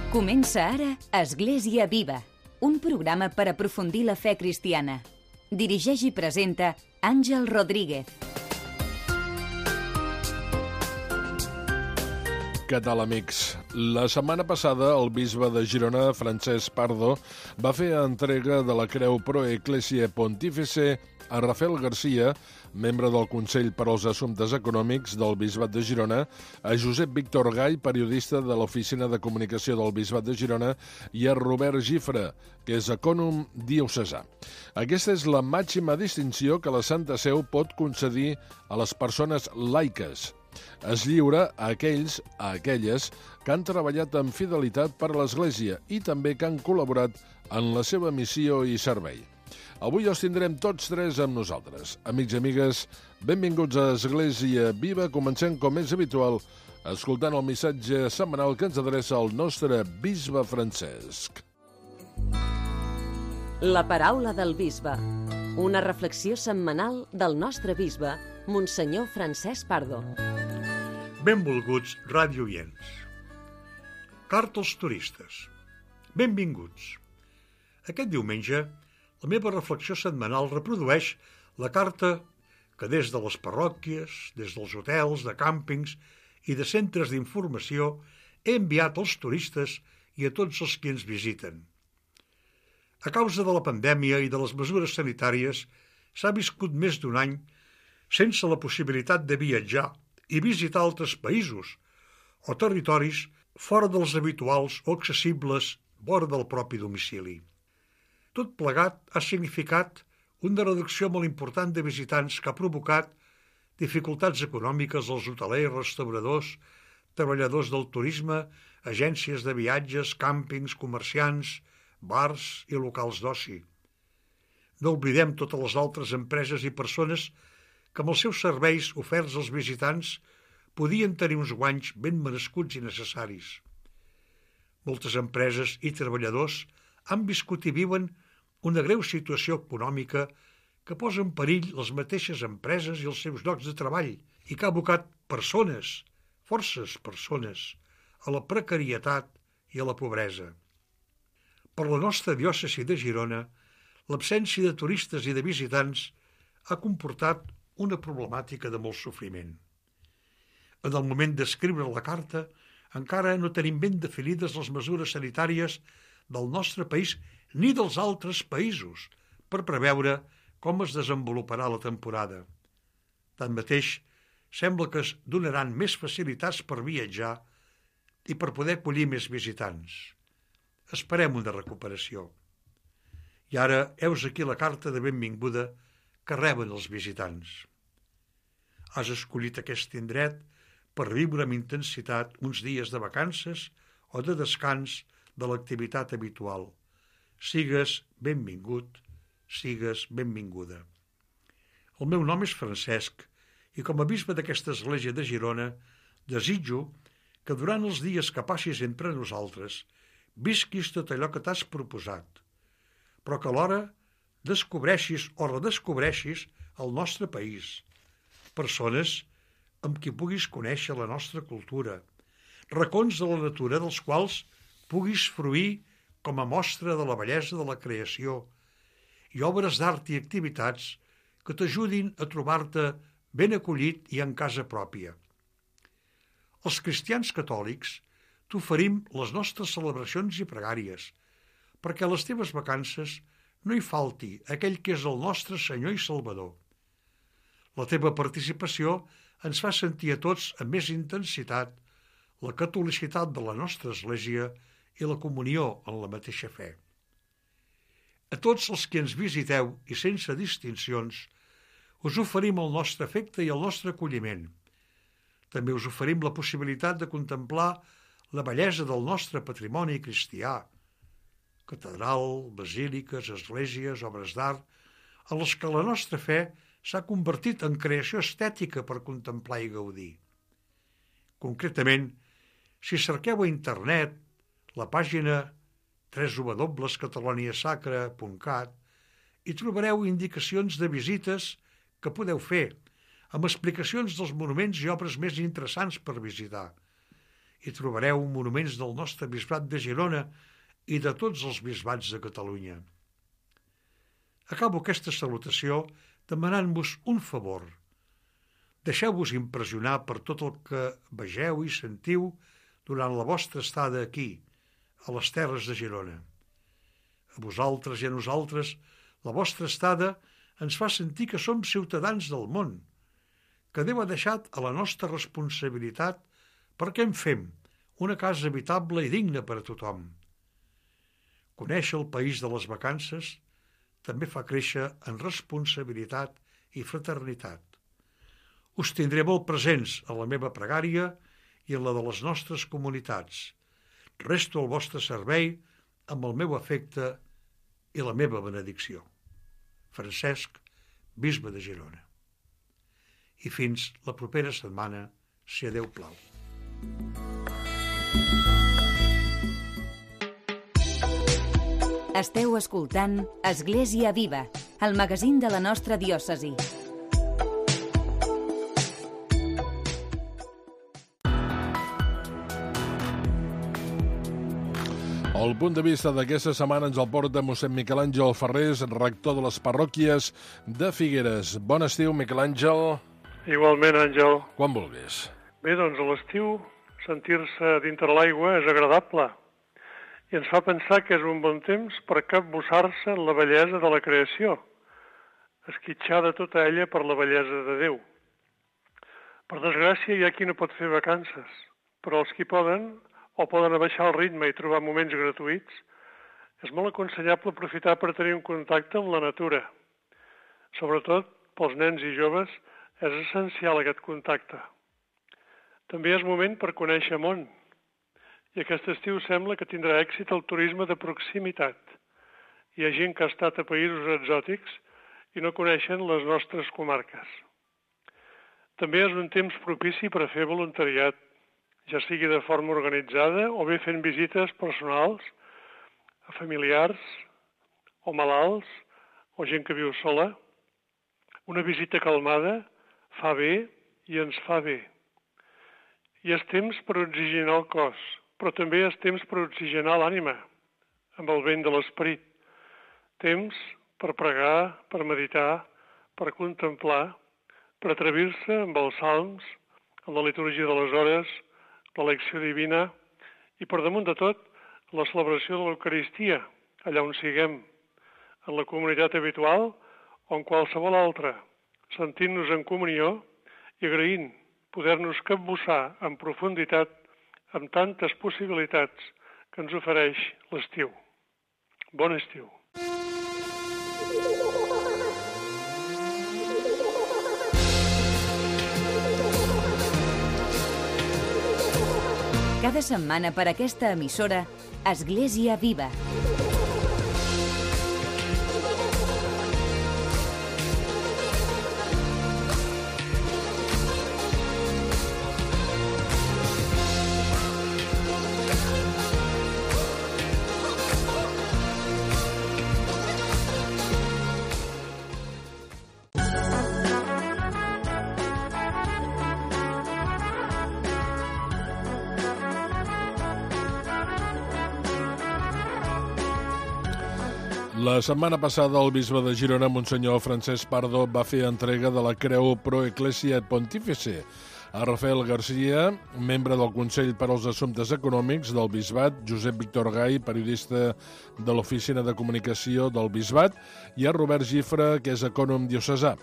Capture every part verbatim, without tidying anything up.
Comença ara Església Viva, un programa per aprofundir la fe cristiana. Dirigeix i presenta Àngel Rodríguez. Què tal, amics? La setmana passada el bisbe de Girona, Francesc Pardo, va fer entrega de la Creu Pro Ecclesiae Pontifice a Rafael Garcia, membre del Consell per als Assumptes Econòmics del Bisbat de Girona, a Josep Víctor Gall, periodista de l'Oficina de Comunicació del Bisbat de Girona, i a Robert Gifre, que és ecònom diocesà. Aquesta és la màxima distinció que la Santa Seu pot concedir a les persones laiques. Es lliura a aquells, a aquelles, que han treballat amb fidelitat per a l'Església i també que han col·laborat en la seva missió i servei. Avui els tindrem tots tres amb nosaltres. Amics i amigues, benvinguts a Església Viva. Comencem, com és habitual, escoltant el missatge setmanal que ens adreça el nostre bisbe Francesc. La paraula del bisbe. Una reflexió setmanal del nostre bisbe, Monsenyor Francesc Pardo. Benvolguts radiooients. Carta als turistes. Benvinguts. Aquest diumenge, la meva reflexió setmanal reprodueix la carta que des de les parròquies, des dels hotels, de càmpings i de centres d'informació he enviat als turistes i a tots els que ens visiten. A causa de la pandèmia i de les mesures sanitàries, s'ha viscut més d'un any sense la possibilitat de viatjar i visitar altres països o territoris fora dels habituals o accessibles vora del propi domicili. Tot plegat ha significat una reducció molt important de visitants que ha provocat dificultats econòmiques als hotelers, restauradors, treballadors del turisme, agències de viatges, càmpings, comerciants, bars i locals d'oci. No oblidem totes les altres empreses i persones que amb els seus serveis oferts als visitants podien tenir uns guanys ben merescuts i necessaris. Moltes empreses i treballadors han viscut i viuen una greu situació econòmica que posa en perill les mateixes empreses i els seus llocs de treball i que ha abocat persones, forces persones, a la precarietat i a la pobresa. Per la nostra diòcesi de Girona, l'absència de turistes i de visitants ha comportat una problemàtica de molt sofriment. En el moment d'escriure la carta, encara no tenim ben definides les mesures sanitàries del nostre país ni dels altres països per preveure com es desenvoluparà la temporada. Tanmateix, sembla que es donaran més facilitats per viatjar i per poder acollir més visitants. Esperem una recuperació. I ara heus aquí la carta de benvinguda que reben els visitants. Has escollit aquest indret per viure amb intensitat uns dies de vacances o de descans de l'activitat habitual. Sigues benvingut, sigues benvinguda. El meu nom és Francesc i com a bisbe d'aquesta església de Girona desitjo que durant els dies que passis entre nosaltres visquis tot allò que t'has proposat, però que alhora descobreixis o redescobreixis el nostre país, persones amb qui puguis conèixer la nostra cultura, racons de la natura dels quals puguis fruir com a mostra de la bellesa de la creació i obres d'art i activitats que t'ajudin a trobar-te ben acollit i en casa pròpia. Els cristians catòlics t'oferim les nostres celebracions i pregàries perquè a les teves vacances no hi falti aquell que és el nostre Senyor i Salvador. La teva participació ens fa sentir a tots amb més intensitat la catolicitat de la nostra Església i la comunió en la mateixa fe. A tots els que ens visiteu i sense distincions, us oferim el nostre afecte i el nostre acolliment. També us oferim la possibilitat de contemplar la bellesa del nostre patrimoni cristià, catedral, basíliques, esglésies, obres d'art, en les que la nostra fe s'ha convertit en creació estètica per contemplar i gaudir. Concretament, si cerqueu a internet la pàgina w w w punt cataloniasacra punt cat hi trobareu indicacions de visites que podeu fer, amb explicacions dels monuments i obres més interessants per visitar, hi trobareu monuments del nostre bisbat de Girona i de tots els bisbats de Catalunya. Acabo aquesta salutació demanant-vos un favor. Deixeu-vos impressionar per tot el que vegeu i sentiu durant la vostra estada aquí, a les terres de Girona. A vosaltres i a nosaltres, la vostra estada ens fa sentir que som ciutadans del món, que Déu ha deixat a la nostra responsabilitat perquè en fem una casa habitable i digna per a tothom. Conèixer el país de les vacances també fa créixer en responsabilitat i fraternitat. Us tindré molt presents a la meva pregària i en la de les nostres comunitats. Resto al vostre servei amb el meu afecte i la meva benedicció. Francesc, bisbe de Girona. I fins la propera setmana, si a Déu plau. Esteu escoltant Església Viva, el magazín de la nostra diòcesi. El punt de vista d'aquesta setmana ens el porta mossèn Miquel Àngel Ferrés, rector de les parròquies de Figueres. Bon estiu, Miquel Àngel. Igualment, Àngel. Quan vulguis. Bé, doncs a l'estiu sentir-se dintre l'aigua és agradable i ens fa pensar que és un bon temps per capbussar-se en la bellesa de la creació, esquitxar de tota ella per la bellesa de Déu. Per desgràcia, hi ha qui no pot fer vacances, però els qui poden o poden abaixar el ritme i trobar moments gratuïts, és molt aconsellable aprofitar per tenir un contacte amb la natura. Sobretot pels nens i joves és essencial aquest contacte. També és moment per conèixer món, i aquest estiu sembla que tindrà èxit el turisme de proximitat. Hi ha gent que ha estat a països exòtics i no coneixen les nostres comarques. També és un temps propici per a fer voluntariat, ja sigui de forma organitzada o bé fent visites personals a familiars o malalts o gent que viu sola. Una visita calmada fa bé i ens fa bé. I és temps per oxigenar el cos, però també és temps per oxigenar l'ànima, amb el vent de l'esperit. Temps per pregar, per meditar, per contemplar, per atrevir-se amb els salms, amb la litúrgia de les hores, l'elecció divina i, per damunt de tot, la celebració de l'Eucaristia, allà on siguem, en la comunitat habitual o en qualsevol altra, sentint-nos en comunió i agraint poder-nos capbussar en profunditat amb tantes possibilitats que ens ofereix l'estiu. Bon estiu! Cada setmana per aquesta emissora, Església Viva. La setmana passada, el bisbe de Girona, Monsenyor Francesc Pardo, va fer entrega de la Creu Pro Ecclesia Pontifice a Rafael Garcia, membre del Consell per als Assumptes Econòmics del Bisbat, Josep Víctor Gai, periodista de l'Oficina de Comunicació del Bisbat, i a Robert Gifra, que és ecònom diocesà.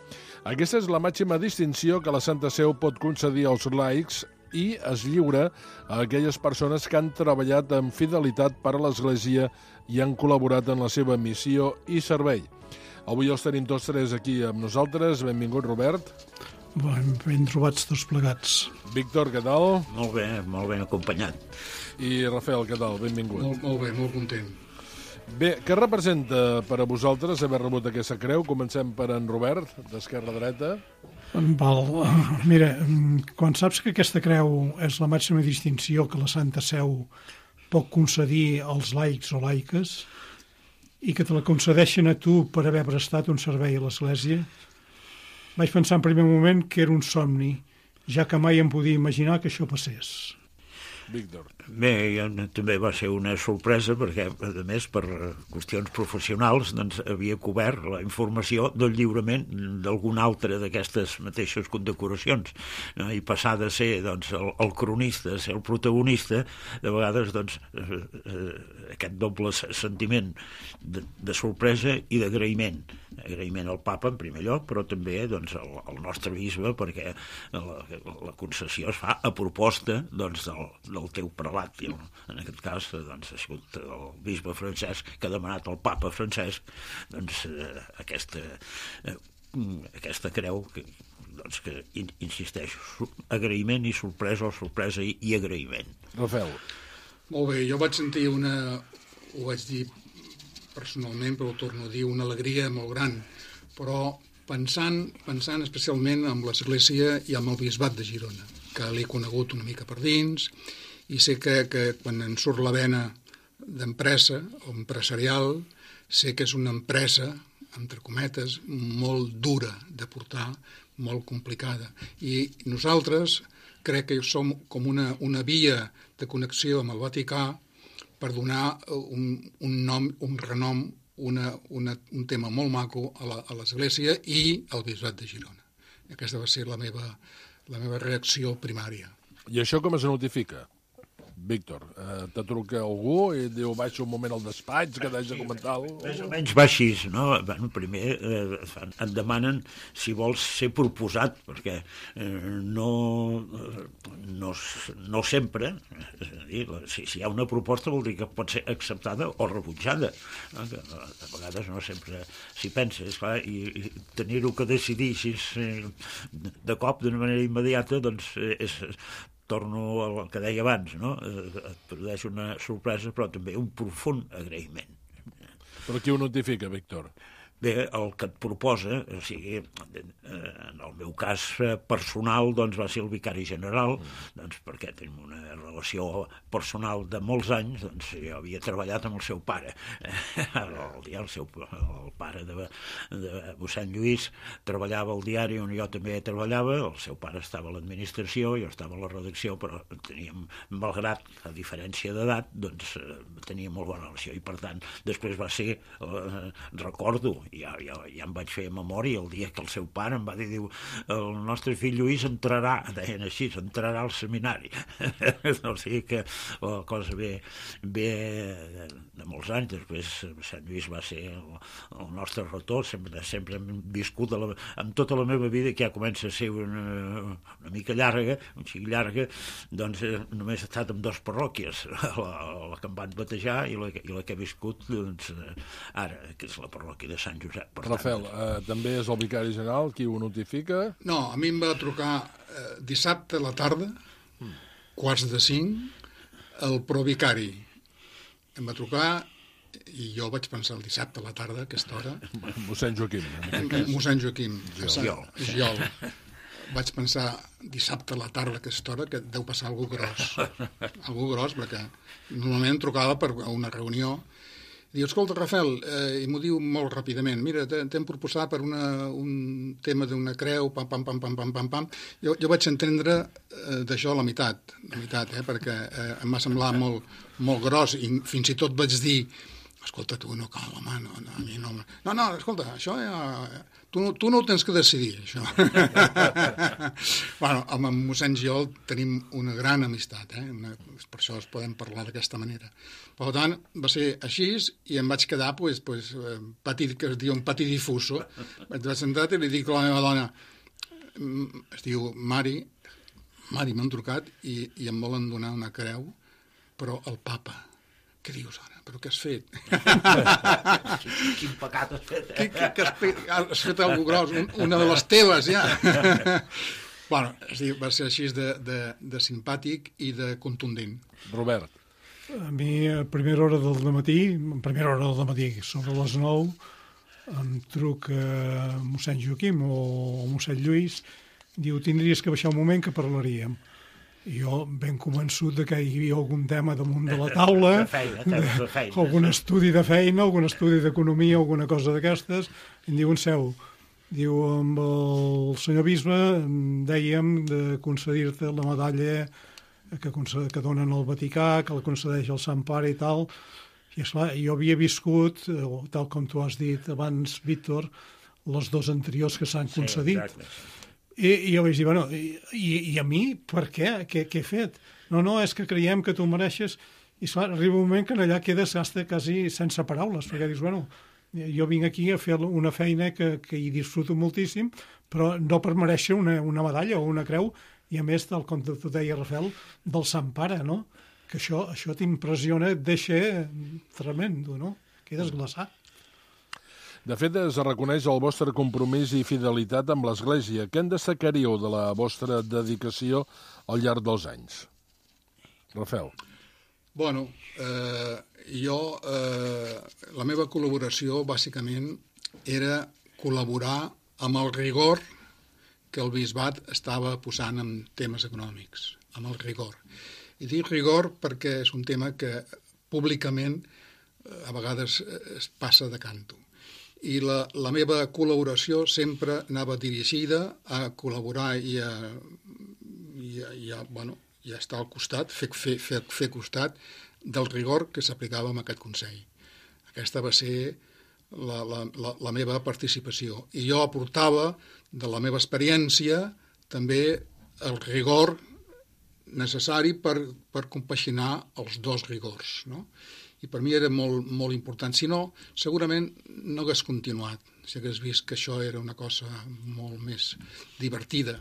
Aquesta és la màxima distinció que la Santa Seu pot concedir als laics i es lliura a aquelles persones que han treballat amb fidelitat per a l'Església i han col·laborat en la seva missió i servei. Avui els tenim tots tres aquí amb nosaltres. Benvingut, Robert. Ben, ben trobats tots plegats. Víctor, què tal? Molt bé, molt ben acompanyat. I Rafael, què tal? Benvingut. Molt, molt bé, molt content. Bé, què representa per a vosaltres haver rebut aquesta creu? Comencem per en Robert, d'esquerra a dreta. Val. Mira, quan saps que aquesta creu és la màxima distinció que la Santa Seu pot concedir als laics o laiques i que te la concedeixen a tu per haver prestat un servei a l'Església, vaig pensar en primer moment que era un somni, ja que mai em podia imaginar que això passés. Víctor. Bé, també va ser una sorpresa perquè, a més, per qüestions professionals, doncs, havia cobert la informació del lliurament d'alguna altra d'aquestes mateixes condecoracions, no? I passar de ser, doncs, el, el cronista a ser el protagonista, de vegades, doncs, eh, eh, aquest doble sentiment de, de sorpresa i d'agraïment. Agraïment al papa, en primer lloc, però també, doncs, al, al nostre bisbe, perquè la, la concessió es fa a proposta, doncs, del, del teu prelat. En aquest cas, doncs, ha sigut el bisbe Francesc que ha demanat al papa Francesc, doncs, eh, aquesta, eh, aquesta creu que, doncs, que insisteixo, agraïment i sorpresa, o sorpresa i, i agraïment. Rafael. Molt bé, jo vaig sentir una, ho vaig dir personalment, però ho torno a dir, una alegria molt gran, però pensant, pensant especialment en l'Església i amb el Bisbat de Girona, que l'he conegut una mica per dins, i sé que, que quan en surt la vena d'empresa o empresarial, sé que és una empresa, entre cometes, molt dura de portar, molt complicada. I nosaltres crec que som com una, una via de connexió amb el Vaticà per donar un, un nom, un renom, una, una, un tema molt maco a l'Església i al Bisbat de Girona. Aquesta va ser la meva, la meva reacció primària. I això com es notifica? Víctor, eh, te truca algú i diu baixa un moment al despatx que t'haig de comentar alguna cosa? Més o menys va així, no? Bueno, primer eh, et demanen si vols ser proposat, perquè eh, no, no, no sempre, és a dir, si, si hi ha una proposta vol dir que pot ser acceptada o rebutjada, no? Que a vegades no sempre s'hi pensa, esclar, i, i tenir-ho que decidir així de cop, d'una manera immediata, doncs és... torno al que deia abans, no? Et produeix una sorpresa, però també un profund agraïment. Però qui ho notifica, Víctor? Bé, el que et proposa, o sigui, en el meu cas personal, doncs va ser el vicari general, doncs perquè tenim una relació personal de molts anys, doncs jo havia treballat amb el seu pare, el, el, seu, el pare de, de mossèn Lluís treballava al diari on jo també treballava, el seu pare estava a l'administració, jo estava a la redacció, però teníem, malgrat a diferència d'edat, doncs teníem molt bona relació, i per tant, després va ser, eh, recordo, Ja, ja, ja em vaig fer memòria el dia que el seu pare em va dir, diu, el nostre fill Lluís entrarà, deien així, entrarà al seminari. O sigui que la cosa ve, ve de, de molts anys. Després Sant Lluís va ser el, el nostre retor, sempre, sempre hem viscut la, en tota la meva vida, que ja comença a ser una, una mica llarga, un xic llarga, doncs eh, només he estat en dues parròquies, la, la que em van batejar i la, i la que he viscut doncs, ara, que és la parròquia de Sant Josep. Per Rafael, eh, també és el vicari general qui ho notifica? No, a mi em va trucar eh, dissabte a la tarda, mm. quarts de cinc, el provicari. Em va trucar i jo vaig pensar el dissabte a la tarda, a aquesta hora... Mossèn Joaquim. Mossèn Joaquim. Giol. Giol. Vaig pensar dissabte a la tarda a aquesta hora que deu passar algú gros. Algú gros, perquè normalment em trucava per una reunió. Diu, escolta, Rafael, eh, i m'ho diu molt ràpidament, mira, t'hem proposat per una, un tema d'una creu, pam, pam, pam, pam, pam, pam, pam. Jo, jo vaig entendre eh, d'això la meitat, la meitat, eh, perquè eh, em va semblar molt, molt gros, i fins i tot vaig dir, escolta, tu no cal, home, no, no, a mi no... No, no, escolta, això ja... Tu, tu no ho tens que decidir, això. Bueno, amb en mossèn Giol tenim una gran amistat, eh? Una, per això es podem parlar d'aquesta manera. Per tant, va ser així i em vaig quedar, pues, pues, petit, que es diu un patidifuso. Vaig sentar i li dic a la meva dona, es diu Mari, Mari m'han trucat i, i em volen donar una creu, però el papa. Què dius ara? Però què has fet? Quin pecat has fet, eh? Que, que, que has, fet, has fet alguna gros, un, una de les teves, ja. Bueno, és dir, va ser així de, de, de simpàtic i de contundent. Robert. A mi, a primera hora del matí, a primera hora del matí, sobre les nou, em truca mossèn Joaquim o mossèn Lluís, diu, tindries que baixar un moment que parlaríem. I jo ben convençut de que hi havia algun tema damunt de la taula, de feina, temes de feina. Algun estudi de feina, algun estudi d'economia, alguna cosa d'aquestes, i em diu en seu, diu, amb el senyor bisbe dèiem de concedir-te la medalla que, que donen al Vaticà, que la concedeix el Sant Pare i tal. I esclar, jo havia viscut, tal com tu has dit abans, Víctor, les dos anteriors que s'han concedit. Sí, exacte. I, I jo vaig dir, bueno, i, i a mi per què? Què, què he fet? No, no, és que creiem que tu mereixes. I esclar, arriba un moment que allà quedes hasta quasi sense paraules, perquè dius, bueno, jo vinc aquí a fer una feina que, que hi disfruto moltíssim, però no per mereixer una, una medalla o una creu, i a més, tal com tu deia, Rafael, del Sant Pare, no? Que això, això t'impressiona, et deixa tremendo, no? Quedes glaçat. De fet, es reconeix el vostre compromís i fidelitat amb l'Església. Què en destacaríeu de la vostra dedicació al llarg dels anys? Rafael. Bueno, eh, jo, eh, la meva col·laboració, bàsicament, era col·laborar amb el rigor que el bisbat estava posant en temes econòmics, amb el rigor. I dic rigor perquè és un tema que públicament a vegades es passa de canto. I la, la meva col·laboració sempre anava dirigida a col·laborar i a, i a, i a, bueno, i a estar al costat, fer, fer, fer, fer costat del rigor que s'aplicava en aquest Consell. Aquesta va ser la, la, la, la meva participació. I jo aportava de la meva experiència també el rigor necessari per, per compaginar els dos rigors, no? I per mi era molt, molt important. Si no, segurament no hagués continuat, si hagués vist que això era una cosa molt més divertida.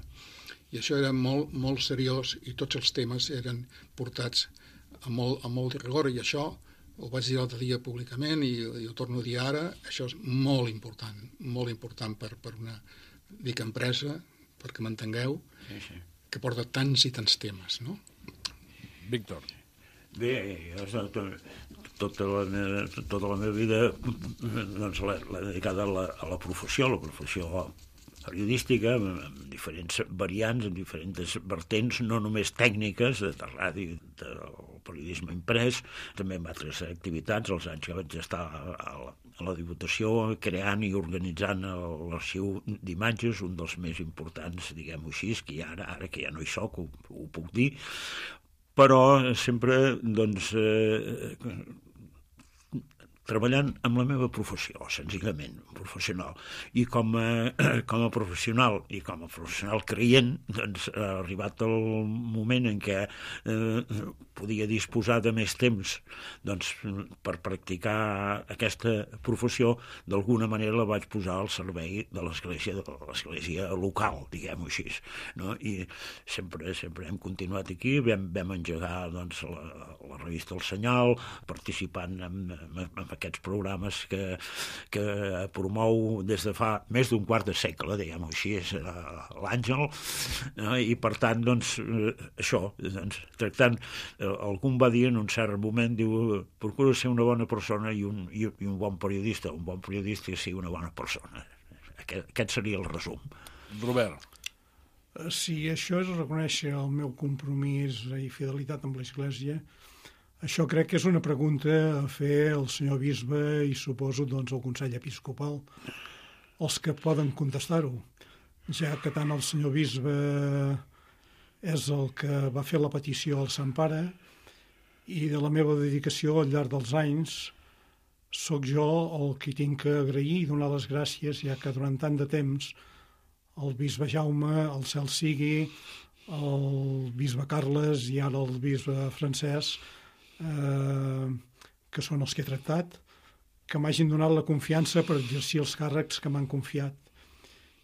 I això era molt, molt seriós i tots els temes eren portats amb molt, amb molt de rigor. I això ho vaig dir l'altre dia públicament i, i ho torno a dir ara, això és molt important, molt important per, per una, dic, empresa, perquè m'entengueu, sí, sí, que porta tants i tants temes, no? Víctor. Bé, jo tota la meva, tota la meva vida doncs, l'he dedicada a la, a la professió, la professió periodística, amb diferents variants, amb diferents vertents, no només tècniques, de ràdio, del periodisme imprès, també amb altres activitats, els anys que vaig estar a la, a la Diputació, creant i organitzant l'arxiu d'imatges, un dels més importants, diguem-ho així, que ara, ara que ja no hi soc, ho, ho puc dir, però sempre, doncs, eh, treballant amb la meva professió, senzillament, professional. I com a, com a professional i com a professional creient, doncs, ha arribat el moment en què eh, podia disposar de més temps doncs, per practicar aquesta professió, d'alguna manera la vaig posar al servei de l'església, de l'església local, diguem-ho així. No? I sempre, sempre hem continuat aquí, vam, vam engegar doncs, la, la revista El Senyal, participant en, en, en aquests programes que, que promou des de fa més d'un quart de segle, diguem-ho així, l'Àngel, no? I per tant, doncs, això, doncs, tractant, algú va dir en un cert moment, diu, procura ser una bona persona i un, i, i un bon periodista, un bon periodista que sigui una bona persona. Aquest, aquest seria el resum. Robert. Si això és reconèixer el meu compromís i fidelitat amb l'Església, això crec que és una pregunta a fer al senyor bisbe i suposo doncs al Consell Episcopal, els que poden contestar-ho, ja que tant el senyor bisbe és el que va fer la petició al Sant Pare i de la meva dedicació al llarg dels anys sóc jo el que tinc que agrair i donar les gràcies, ja que durant tant de temps el bisbe Jaume, el cel sigui, el bisbe Carles i ara el bisbe Francesc, Eh, que són els que he tractat, que m'hagin donat la confiança per exercir els càrrecs que m'han confiat.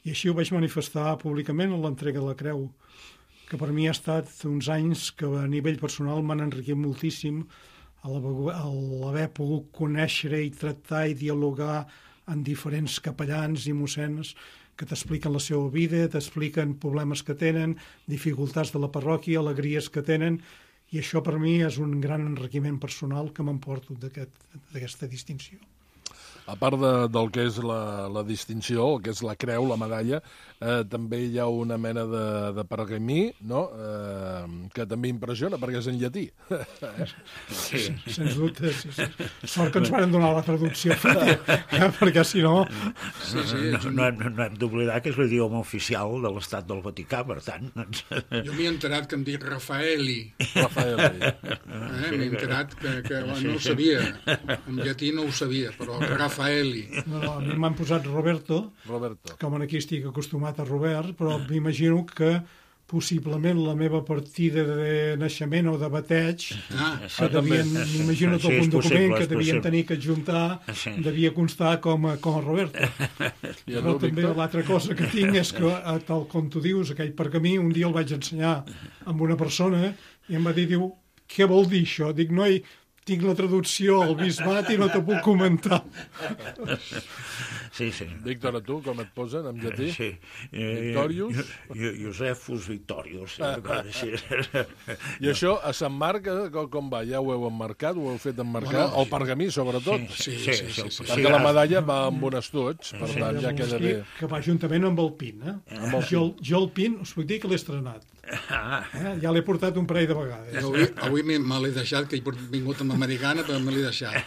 I així ho vaig manifestar públicament en l'entrega de la creu, que per mi ha estat uns anys que a nivell personal m'han enriquit moltíssim a l'haver pogut conèixer i tractar i dialogar amb diferents capellans i mossens que t'expliquen la seva vida, t'expliquen problemes que tenen, dificultats de la parròquia, alegries que tenen. I això per mi és un gran enriquiment personal que m'emporto d'aquesta distinció. A part de, del que és la, la distinció, el que és la creu, la medalla, eh, també hi ha una mena de, de pergamí, no?, eh, que també impressiona, perquè és en llatí. Sí, sens dubte. Sí, sí. Sort que ens van donar la traducció, eh, perquè si no... Sí, sí, no, no, hem, no hem d'oblidar que és l'idioma oficial de l'Estat del Vaticà, per tant... Doncs... Jo m'he enterat que em dic Raffaelli. Raffaelli. Eh, m'he enterat que, que bueno, no ho sabia. En llatí no ho sabia, però Raffaelli. No, no, a mi m'han posat Roberto, Roberto, com aquí estic acostumat a Robert, però m'imagino que possiblement la meva partida de naixement o de bateig, Ah, que devien, m'imagino tot sí, és un document possible, que és devien possible. tenir que adjuntar, Sí. devia constar com a, com a Roberto. I Però tu, també Víctor? l'altra cosa que tinc és que, eh, tal com tu dius, aquell pergamí, un dia el vaig ensenyar amb una persona i em va dir, diu, què vol dir això? Dic, noi, tinc la traducció al bisbat i no te puc comentar. Sí, sí. Víctor, a tu, com et posen, en llatí? Sí. Victorius? Eh, Jo- Josefus Victorius. Sí, així. I això, a Sant Marc, eh, com, com va? Ja ho heu emmarcat, ho heu fet emmarcar? Bueno, El pergamí, sobretot. Sí, Sí, sí, sí, sí. sí, sí. Perquè la medalla va amb un estuig, per tant, ja queda bé. Que va juntament amb el pin, eh? Amb el... Jo, jo el pin, us puc dir que l'he estrenat. Ah, Eh? Ja l'he portat un parell de vegades. Jo avui, avui me, me l'he deixat, que he vingut amb americana, però me l'he deixat.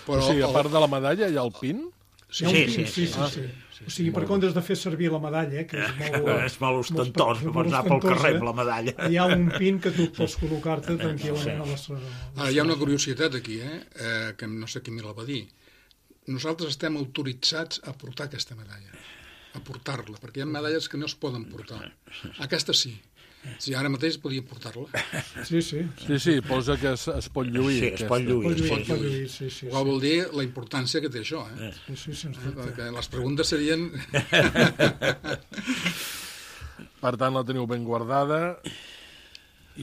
Però O sigui, a el- part de la medalla hi ha el pin? Hi ha un Sí, pin, sí, sí, sí, sí. O sigui, per comptes de fer servir la medalla, eh, que és molt... és molt ostentós, molt pots anar pel ostentós, carrer eh? amb la medalla. Hi ha un pin que tu pots col·locar-te tranquil·lament a les... Ara, hi ha una curiositat aquí, eh? eh que no sé qui me la va dir. Nosaltres estem autoritzats a portar aquesta medalla, a portar-la, perquè hi ha medalles que no es poden portar. Aquesta sí. Si ara mateix podia portar-la. Sí, sí. Sí, sí, posa que es, es pot lluir. Sí, es aquesta. pot lluir. Pot Sí, lluir, sí. pot lluir, sí, sí. Ho vol dir la importància que té això, eh? Sí, sí, sens Eh, dubte. Perquè les preguntes serien... Per tant, la teniu ben guardada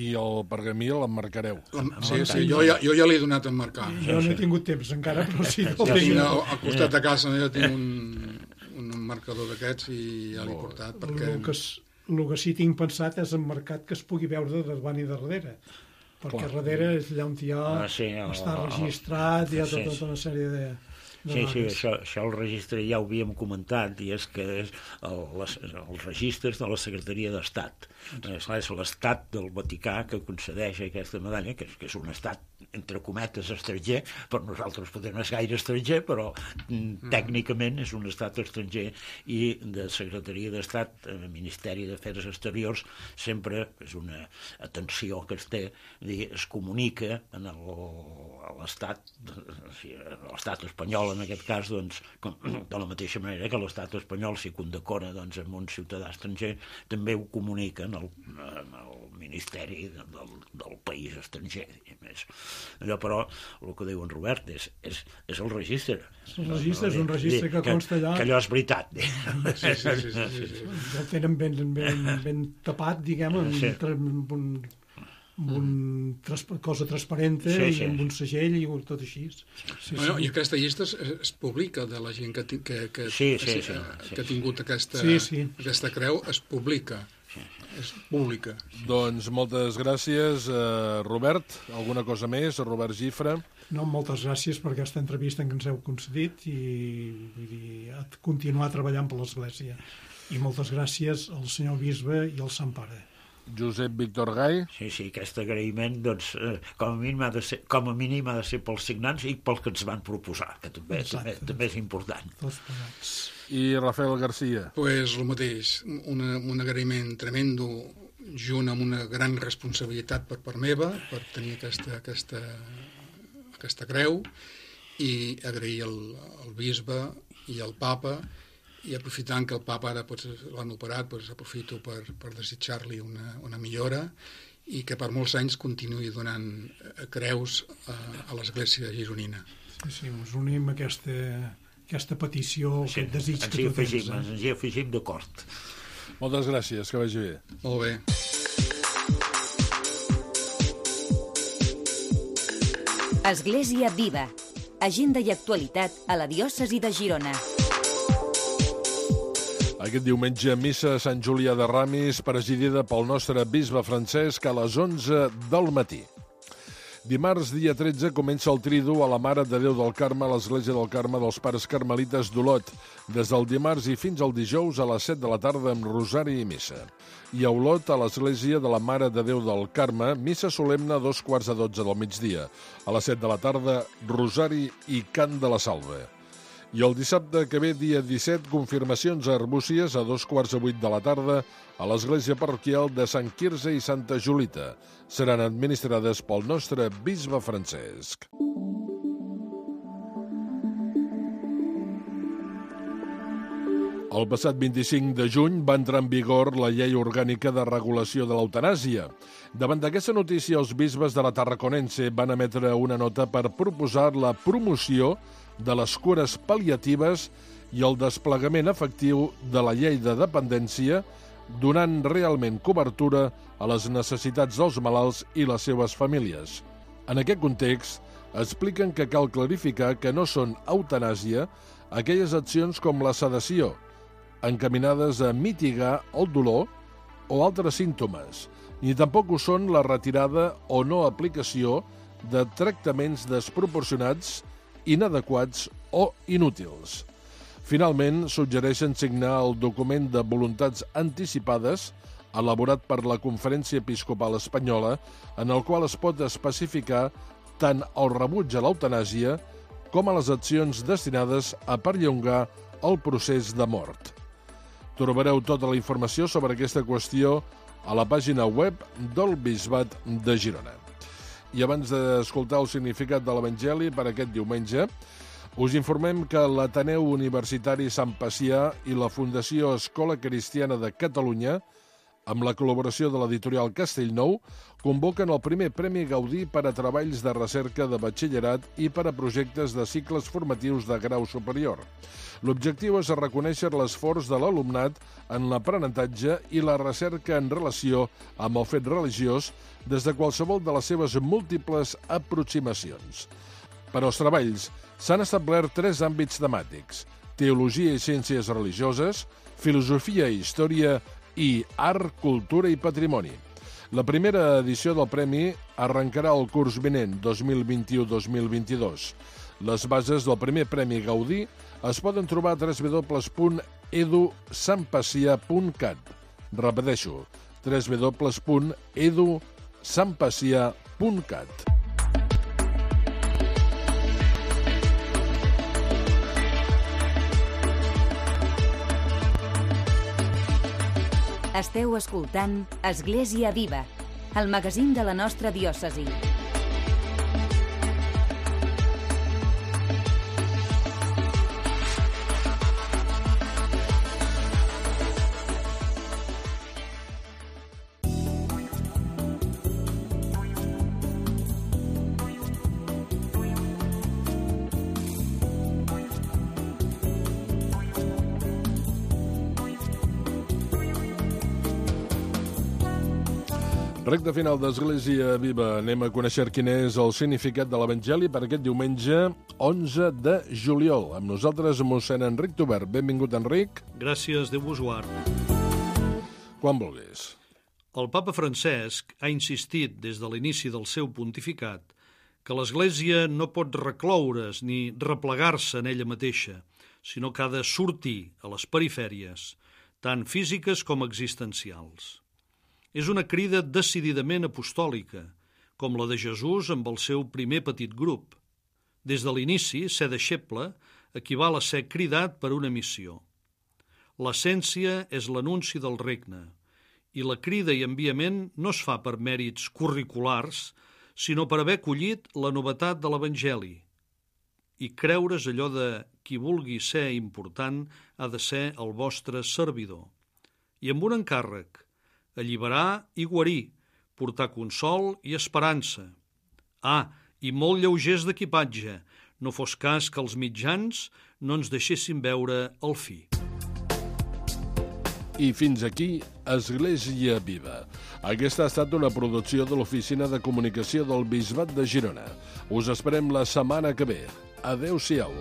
i el pergamí l'emmarcareu. Sí, sí, jo ja, jo ja l'he donat a marcar. Jo no he tingut temps encara, però sí. Jo tinc al, al costat de casa, jo tinc un, un marcador d'aquests i ja l'he portat, perquè... El que, es- el que sí tinc pensat és emmarcat que es pugui veure de davant i de darrere. Perquè Clar. darrere és allà on ja Ah, sí, el- està el- registrat, hi ha sí, tota, sí. tota una sèrie de... de Sí, sí, dades. això, això el registre ja ho havíem comentat, i és que és el, les, els registres de la Secretaria d'Estat. És, és l'Estat del Vaticà que concedeix aquesta medalla, que és, que és un estat, entre cometes, estranger, per nosaltres potser no és gaire estranger, però mm, tècnicament és un estat estranger, i de Secretaria d'Estat, eh, Ministeri d'Afers Exteriors, sempre és una atenció que es té, dir, es comunica en el, a l'estat, o sigui, a l'estat espanyol, en aquest cas, doncs, com, de la mateixa manera que l'estat espanyol, si condecora doncs, amb un ciutadà estranger, també ho comuniquen al, al Ministeri del, del país estranger. Més. Allò, però, el que diu en Robert és, és, és el registre. El registre és un registre que consta allà. Que allò és veritat. Sí, sí, sí, sí, sí, sí. El tenen ben, ben, ben tapat, diguem, amb, Sí. tra- amb un, amb un tras, cosa transparente Sí, i sí. amb un segell i tot així. Sí, Bueno, sí. I aquesta llista es, es publica de la gent que, ti- que, que, Sí, sí, que, sí, sí. que ha tingut aquesta, Sí, sí. aquesta creu, es publica. És pública. Doncs moltes gràcies, eh, Robert. Alguna cosa més? Robert Gifra. No, moltes gràcies per aquesta entrevista que ens heu concedit i vull dir, a continuar treballant per l'Església. I moltes gràcies al senyor Bisbe i al Sant Pare. Josep Víctor Gai. Sí, sí, aquest agraïment, doncs, eh, com, a mínim ha de ser, com a mínim ha de ser pels signants i pels que ens van proposar, que també, també, Exacte. també és important. Tots plegats. I Rafael Garcia. Pues el mateix, una, un agraïment tremendo, junt amb una gran responsabilitat per part meva, per tenir aquesta, aquesta, aquesta creu, i agrair al, al bisbe i al papa, i aprofitant que el papa ara pues, l'han operat, pues, aprofito per, per desitjar-li una, una millora i que per molts anys continuï donant creus a, a l'Església gironina. Sí, sí, ens unim a aquesta, aquesta petició, Sí, aquest desig ens que hi tu tens. afegim, Eh? ens hi afegim d'acord. Moltes gràcies, que vagi bé. Molt bé. Església Viva. Agenda i actualitat a la diòcesi de Girona. Aquest diumenge, missa a Sant Julià de Ramis, presidida pel nostre bisbe Francesc a les onze del matí. Dimarts, dia tretze, comença el Tridu a la Mare de Déu del Carme a l'Església del Carme dels Pares Carmelites d'Olot, des del dimarts i fins al dijous a les set de la tarda amb rosari i missa. I a Olot, a l'Església de la Mare de Déu del Carme, missa solemne a dos quarts de dotze del migdia. A les set de la tarda, rosari i cant de la salve. I el dissabte que ve, dia disset, confirmacions a Arbúcies a dos quarts de vuit de la tarda a l'església parroquial de Sant Quirze i Santa Julita. Seran administrades pel nostre bisbe Francesc. El passat vint-i-cinc de juny va entrar en vigor la llei orgànica de regulació de l'eutanàsia. Davant d'aquesta notícia, els bisbes de la Tarraconense van emetre una nota per proposar la promoció de les cures pal·liatives i el desplegament efectiu de la llei de dependència, donant realment cobertura a les necessitats dels malalts i les seves famílies. En aquest context, expliquen que cal clarificar que no són eutanàsia aquelles accions com la sedació, encaminades a mitigar el dolor o altres símptomes, ni tampoc ho són la retirada o no aplicació de tractaments desproporcionats, inadequats o inútils. Finalment, suggereixen signar el document de voluntats anticipades elaborat per la Conferència Episcopal Espanyola, en el qual es pot especificar tant el rebuig a l'eutanàsia com a les accions destinades a perllongar el procés de mort. Trobareu tota la informació sobre aquesta qüestió a la pàgina web del Bisbat de Girona. I abans d'escoltar el significat de l'Evangeli per aquest diumenge, us informem que l'Ateneu Universitari Sant Pacià i la Fundació Escola Cristiana de Catalunya, amb la col·laboració de l'editorial Castellnou, convoquen el primer Premi Gaudí per a treballs de recerca de batxillerat i per a projectes de cicles formatius de grau superior. L'objectiu és reconèixer l'esforç de l'alumnat en l'aprenentatge i la recerca en relació amb el fet religiós des de qualsevol de les seves múltiples aproximacions. Per als treballs s'han establert tres àmbits temàtics: teologia i ciències religioses, filosofia i història i art, cultura i patrimoni. La primera edició del premi arrencarà el curs vinent dos mil vint-i-u dos mil vint-i-dos. Les bases del primer Premi Gaudí es poden trobar a w w w punt edu sant pacià punt cat. Repeteixo, w w w punt edu sant pacià punt cat. Esteu escoltant Església Viva, el magazín de la nostra diòcesi. Recte final d'Església Viva. Anem a conèixer quin és el significat de l'Evangeli per aquest diumenge onze de juliol. Amb nosaltres, mossèn Enric Tobert. Benvingut, Enric. Gràcies, Déu vos guard. Quan vulguis. El papa Francesc ha insistit des de l'inici del seu pontificat que l'Església no pot recloure's ni replegar-se en ella mateixa, sinó que ha de sortir a les perifèries, tant físiques com existencials. És una crida decididament apostòlica, com la de Jesús amb el seu primer petit grup. Des de l'inici, ser deixeble equival a ser cridat per una missió. L'essència és l'anunci del regne, i la crida i enviament no es fa per mèrits curriculars, sinó per haver collit la novetat de l'Evangeli. I creure's allò de qui vulgui ser important ha de ser el vostre servidor. I amb un encàrrec: alliberar i guarir, portar consol i esperança. Ah, i molt lleugers d'equipatge, no fos cas que els mitjans no ens deixessin veure el fi. I fins aquí, Església Viva. Aquesta ha estat una producció de l'Oficina de Comunicació del Bisbat de Girona. Us esperem la setmana que ve. Adéu-siau.